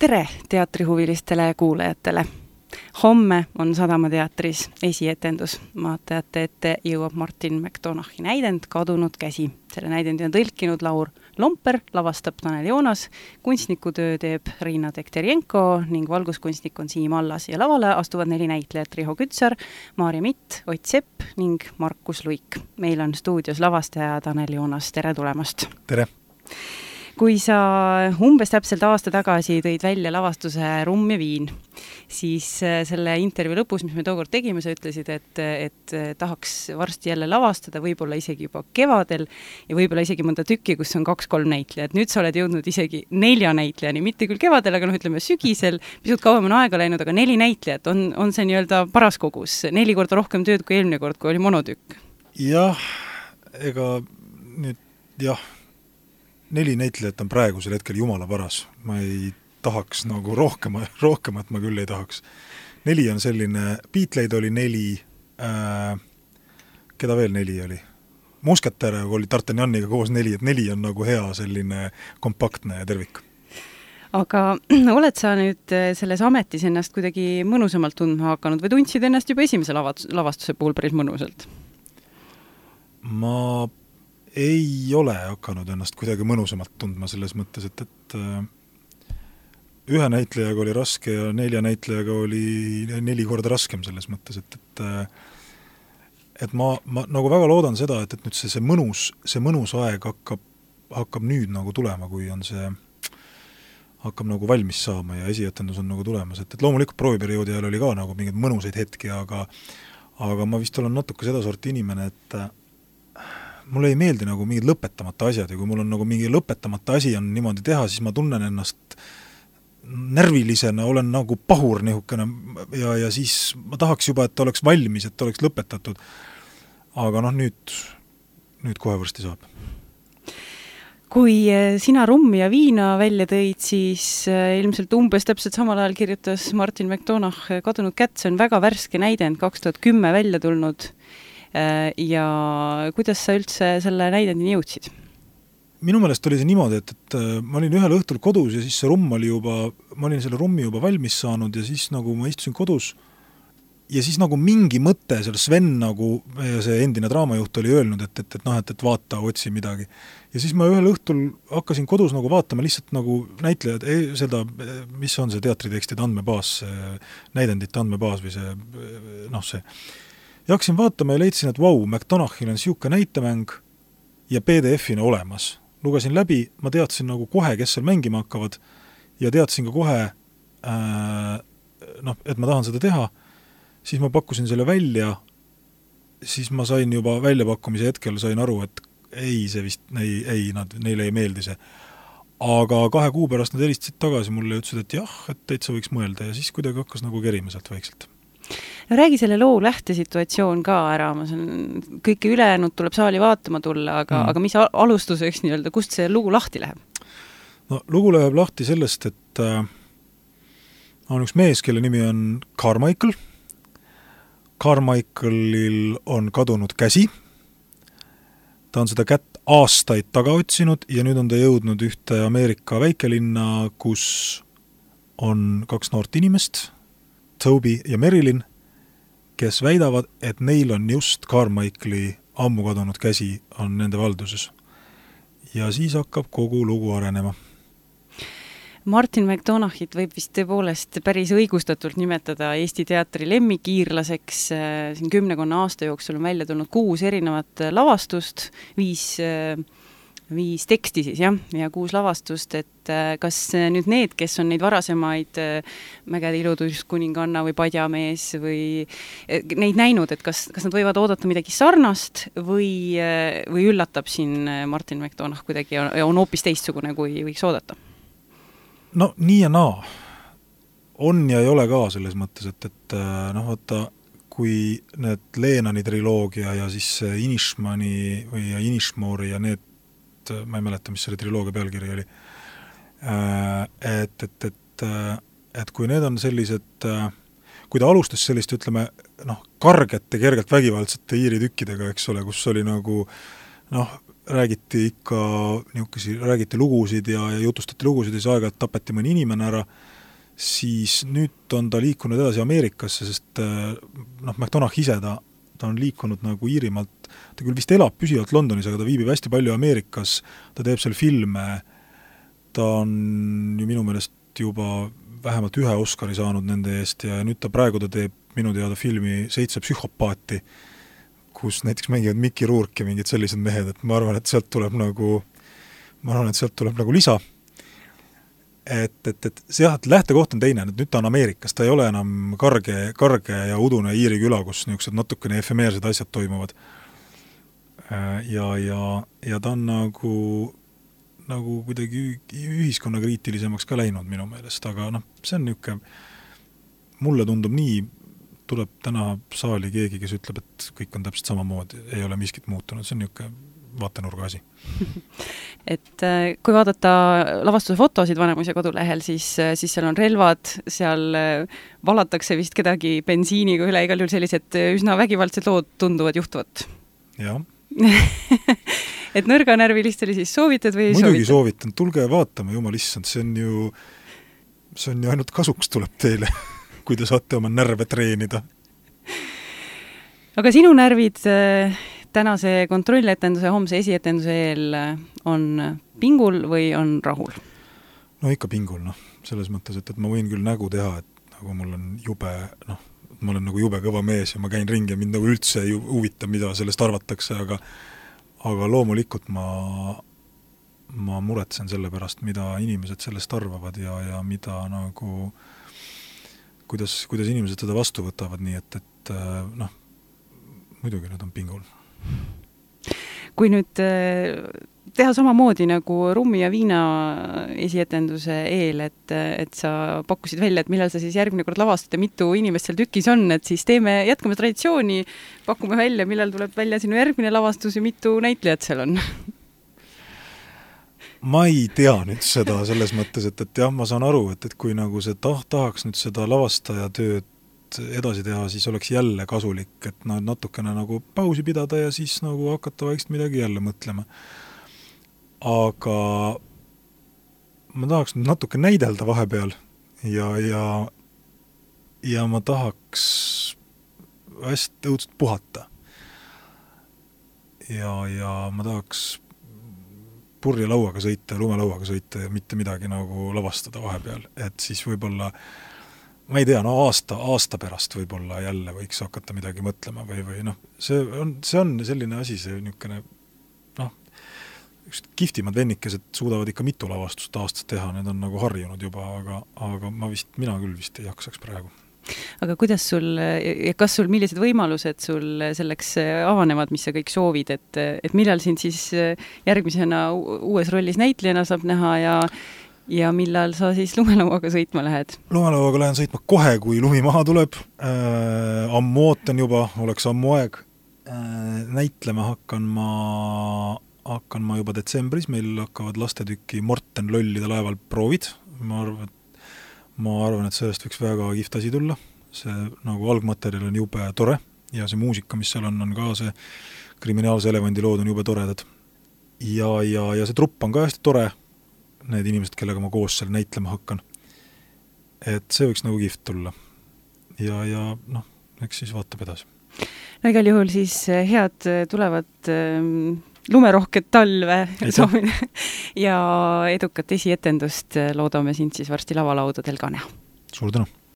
Tere teatrihuvilistele kuulajatele! Homme on Sadamateatris esietendus. Vaatajate ette jõuab Martin McDonagh'i näidend Kadunud käsi. Selle näidendi on tõlkinud Laur Lomper, lavastab Tanel Joonas, kunstnikutöö teeb Riina Tekterjenko ning valguskunstnik on Siim Allas ja lavale astuvad 4 näitlejat Riho Kütsar, Maarja Mitt, Ott Sepp ning Markus Luik. Meil on stuudios lavastaja Tanel Joonas. Tere tulemast! Tere! Kui sa umbes täpselt aasta tagasi tõid välja lavastuse Rumm ja viin, siis selle intervjuu lõpus, mis me tookord tegime, sa ütlesid, et tahaks varsti jälle lavastada, võib-olla isegi juba kevadel ja võib-olla isegi mõnda tükki, kus on 2-3 näitlejat. Nüüd sa oled jõudnud isegi 4 näitlejani, mitte küll kevadel, aga ütleme sügisel, pisut kauem on aega läinud, aga 4 näitlejat on see nii-öelda paras kogus, 4 korda rohkem tööd kui eelmine kord, kui oli monotükk. Jah, ega nüüd 4 näitlejat on praegusel hetkel jumala paras. Ma ei tahaks nagu rohkemat ma küll ei tahaks. 4 on selline, Beatleid oli 4, keda veel 4 oli? Musketäär oli D'Artagnaniga koos 4, et 4 on nagu hea selline kompaktne tervik. Aga oled sa nüüd selles ametis ennast kuidagi mõnusamalt tundma hakanud või tundsid ennast juba esimese lavastuse puhul päris mõnusalt? Ma ei ole hakanud ennast kuidagi mõnusamalt tundma selles mõttes, et 1 näitlejaga oli raske ja 4 näitlejaga oli 4 korda raskem selles mõttes, et ma nagu väga loodan seda, et nüüd see mõnus aeg hakkab nüüd nagu tulema, kui on see hakkab nagu valmis saama ja esietendus on nagu tulemas, et loomulikult prooviperioodi ajal oli ka nagu mingeid mõnusaid hetki, aga ma vist olen natuke seda sorti inimene, et mulle ei meeldi nagu mingid lõpetamata asjad ja kui mul on nagu mingi lõpetamata asi on niimoodi teha, siis ma tunnen ennast närvilisena, olen nagu pahur nihukene ja siis ma tahaks juba, et oleks valmis, et oleks lõpetatud. Aga nüüd kohe varsti saab. Kui sina Rummi ja viina välja tõid, siis ilmselt umbes täpselt samal ajal kirjutas Martin McDonagh Kadunud kätt. See on väga värske näidend, 2010 välja tulnud. Ja kuidas sa üldse selle näidendini jõudsid? Minu meelest oli see niimoodi, et ma olin ühel õhtul kodus ja siis see rumm oli ma olin selle rummi juba valmis saanud ja siis nagu ma istusin kodus ja siis nagu mingi mõte, seal Sven nagu, see endine draamajuht oli öelnud, et vaata, otsi midagi. Ja siis ma ühel õhtul hakkasin kodus nagu vaatama lihtsalt nagu näitlejad, seda, mis on see teatritekstide andmebaas, näidendite andmebaas või see. Ja hakkasin vaatama ja leidsin, et McDonaghil on siuke näitemäng ja PDF-ina olemas. Lugesin läbi, ma teadsin nagu kohe, kes seal mängima hakkavad ja teadsin ka kohe, et ma tahan seda teha. Siis ma pakkusin selle välja, siis ma sain juba väljapakkumise hetkel, sain aru, et see vist, neile ei meeldi see. Aga 2 kuu pärast nad helistasid tagasi mulle ja ütlesid, et jah, et täitsa võiks mõelda ja siis kuidagi hakkas nagu kerima sealt vaikselt. No räägi selle loo lähtesituatsioon ka ära, kõike ülejäänud tuleb saali vaatama tulla, aga mis alustuseks nii-öelda, kust see lugu lahti läheb? No lugu läheb lahti sellest, et on üks mees, kelle nimi on Carmichael. Carmichaelil on kadunud käsi. Ta on seda kätt aastaid taga otsinud ja nüüd on ta jõudnud ühte Ameerika väikelinna, kus on 2 noort inimest, Toby ja Marilyn, kes väidavad, et neil on just Carmichaeli ammu kadunud käsi on nende valduses. Ja siis hakkab kogu lugu arenema. Martin McDonaghit võib vist tõepoolest päris õigustatult nimetada Eesti teatri lemmikiirlaseks. Siin 10 aasta jooksul on välja tulnud 6 erinevat lavastust, 5 teksti siis, ja 6 lavastust, et kas nüüd need, kes on neid varasemaid Mägede ilutuskuninganna või Padjamees või neid näinud, et kas nad võivad oodata midagi sarnast või üllatab siin Martin McDonagh kuidagi ja on hoopis teistsugune, kui võiks oodata? No nii ja naa. On ja ei ole ka selles mõttes, et vaata, kui need Leenani triloogia ja siis Inishmani või Inishmori ja need ma ei mäleta, mis selle triloogia pealkiri oli. Et kui need on sellised, kui ta alustas sellist, ütleme, kargete, kergelt vägivaldsete iiritükkidega, eks ole, kus oli nagu, räägiti lugusid ja jutustati lugusid ja siis aeg-ajalt tapeti mõni inimene ära, siis nüüd on ta liikunud edasi Ameerikasse, sest McDonagh ise ta on liikunud nagu Iirimaalt, ta küll vist elab püsivalt Londonis, aga ta viibib hästi palju Ameerikas, ta teeb seal filme, ta on ju minu meelest juba vähemalt 1 Oscari saanud nende eest ja nüüd praegu ta teeb minu teada filmi 7 psühhopaati, kus näiteks mängivad Mickey Rourke ja mingid sellised mehed, et ma arvan, et sealt tuleb nagu lisa. Et see lähtekoht on teine, et nüüd ta on Ameerikas, ta ei ole enam karge ja udune Iiri küla, kus niisugused natukene efemeersed asjad toimuvad. Ja ta on nagu kuidagi ühiskonnakriitilisemaks ka läinud minu meelest, aga see on niisugune, mulle tundub nii, tuleb täna saali keegi, kes ütleb, et kõik on täpselt samamoodi, ei ole miskit muutunud, see on niisugune vaatenurga asi. Et kui vaadata lavastuse fotosid Vanemuise kodulehel, siis seal on relvad, seal valatakse vist kedagi bensiiniga üle, igal juhul sellised üsna vägivaldsed lood tunduvad juhtuvat. Jah. Et nõrganärvilist oli siis soovitud või ei soovitud? Muidugi soovitud? Tulge vaatama, jumal issand, see on ju ainult kasuks tuleb teile, kui te saate oma närve treenida. Aga sinu närvid tänase kontrolletenduse, homse esietenduse eel on pingul või on rahul? No ikka pingul, selles mõttes, et ma võin küll nägu teha, et nagu mul on jube, ma olen nagu jube kõva mees ja ma käin ringi ja mind nagu üldse ei huvita, mida sellest arvatakse, aga loomulikult ma muretsen selle pärast, mida inimesed sellest arvavad ja mida nagu, kuidas inimesed seda vastu võtavad, nii et muidugi nad on pingul. Kui nüüd teha samamoodi nagu Rummi ja Viina esietenduse eel, et sa pakkusid välja, et millal sa siis järgmine kord lavastad ja mitu inimest seal tükis on, et siis jätkame traditsiooni, pakume välja, millal tuleb välja sinu järgmine lavastus ja mitu näitlejat seal on? Ma ei tea nüüd seda selles mõttes, et jah, ma saan aru, et kui nagu see tahaks nüüd seda lavastaja tööd edasi teha, siis oleks jälle kasulik, et natukene nagu pausi pidada ja siis nagu hakata vaikselt midagi jälle mõtlema. Aga ma tahaks natuke näidelda vahepeal ja ma tahaks hästi õudselt puhata. Ja ma tahaks purjelauaga sõita ja lumelauaga sõita ja mitte midagi nagu lavastada vahepeal, et siis võib-olla ma ei tea, aasta pärast võib-olla jälle võiks hakata midagi mõtlema või see on selline asi, see niisugune kihvtimad vennikesed suudavad ikka mitu lavastust aastas teha, need on nagu harjunud juba, aga mina küll vist ei jaksaks praegu. Aga kuidas millised võimalused sul selleks avanevad, mis sa kõik soovid, et millal sind siis järgmisena uues rollis näitlejana saab näha ja millal sa siis lumelauaga sõitma lähed? Lumelauaga lähen sõitma kohe, kui lumi maha tuleb. Ammu ootan juba, oleks ammu aeg. Näitlema hakkan ma juba detsembris, meil hakkavad lastetükki Morten Lollide laeval proovid. Ma arvan, et sellest võiks väga kihvt asi tulla. See nagu algmaterjal on jube tore ja see muusika, mis seal on ka see kriminaalse elevandi lood on jube toredad. Ja see trupp on ka hästi tore, need inimesed, kellega ma koos seal näitlema hakkan. Et see võiks nagu kihvt tulla. Ja eks siis vaatab edasi. No igal juhul siis head tulevad lumerohket talve soovin ja edukat esietendust loodame sind siis varsti lavalaudadel ka näha. Suur tänu!